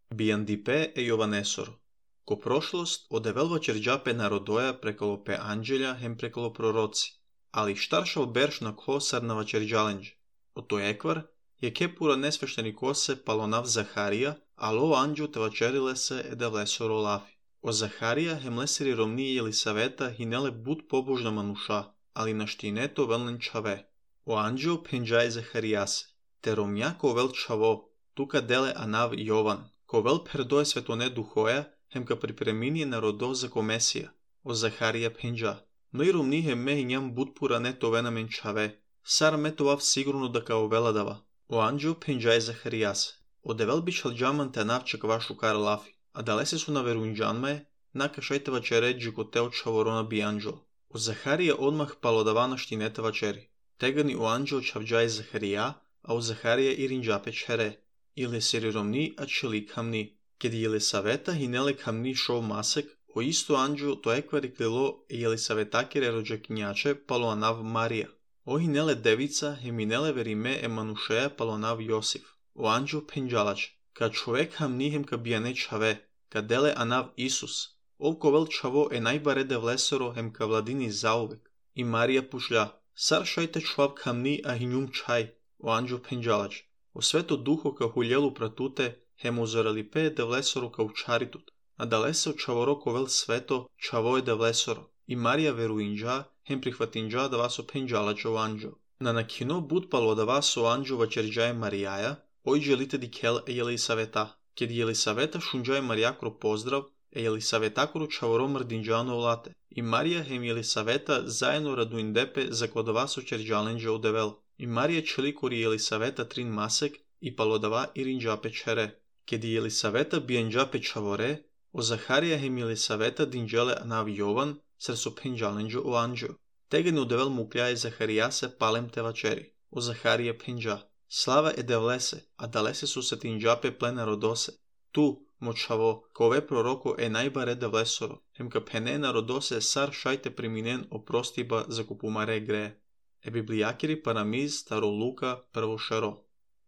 Biandipe e Jovanesoro. Ko prošlost odevelva čerđape narodoja prekalo pe anđelja hem prekalo proroci, ali štaršal berš na klosarnava čerđalenđe. O to ekvar je kepura nesvešteni kose palonav Zaharija, alo anđu te vačerile se edevlesoro lafi. O Zaharija hem leseri romniji Jelisaveta hinele bud pobožna manuša, ali naštineto velnen čave. O anđeo penđaj Zaharijase, te romnjako vel čavo, tuka dele anav Jovan, ko vel perdoje svetone duhoja, hem ka pripreminije narodov za ko Mesija. O Zaharija penđa. No i romni hem me hinjam bud pura neto venamen čave, sar metovav sigurno da kao veladava. O anđeo penđaj Zaharijase, o devel bičal džaman te navčak vašu kar lafi, a dalese su na verunđanme, naka šajteva čeređi ko teo čavorona bi anđel. O Zaharija odmah palodavana štineteva čeri. Tegani o anđel čavđaj Zaharija, a o Zaharija i rinđape čere. Ile seri romni, a čeli kamni. Kedi Jelisaveta hinele kamni šov masek, o isto anđel to ekvari klilo Jelisavetakire rođakinjače palo anav Marija. O hinele devica heminele verime emanušeja palo anav Josif. O anđel penđalač, ka čovek hamni hem ka bijane čave, ka dele anav Isus. Ovko vel čavo najbarede vlesoro hem ka vladini zauvek. I Marija pušlja, sar šajte čvav kamni a hinjum čaj. O anđel penđalač, o sveto duho ka huljelu pratute, hem uzorali pe de vlesoro ka učaritut, a dalese o čavoroko vel sveto čavoje de vlesoro. I Marija veruinđa, hem prihvatinđa da vaso penđalač o anđel. Na nakino bud palo da vaso anđel vačerđaje Marijaja, ojđe lite di kel Jelisaveta. Ked Jelisaveta šunđaje Marijakro pozdrav, Jelisavetakro čavoro mrdinđano olate. I Marija hem Jelisaveta zajedno raduindepe za kod vaso čerđalenđe odevel. I Marija čelikori Jelisaveta trin masek i palodava i rinđape čere. Kedi Jelisaveta bijenđape čavore, o Zaharija hem Jelisaveta dinđele anav Jovan, sar so penđalenđe o anđel. Tegen odevel mukljaje Zaharijase palem te vačeri. O Zaharija penđa. Slava edevlese, a dalese su se tinđape plena rodose. Tu, močavo, kove proroko najbarede vlesoro, hem ka pene narodose sar šajte priminen oprostiba za kupumare greje. Biblijakiri paramiz staro Luka prvo šaro.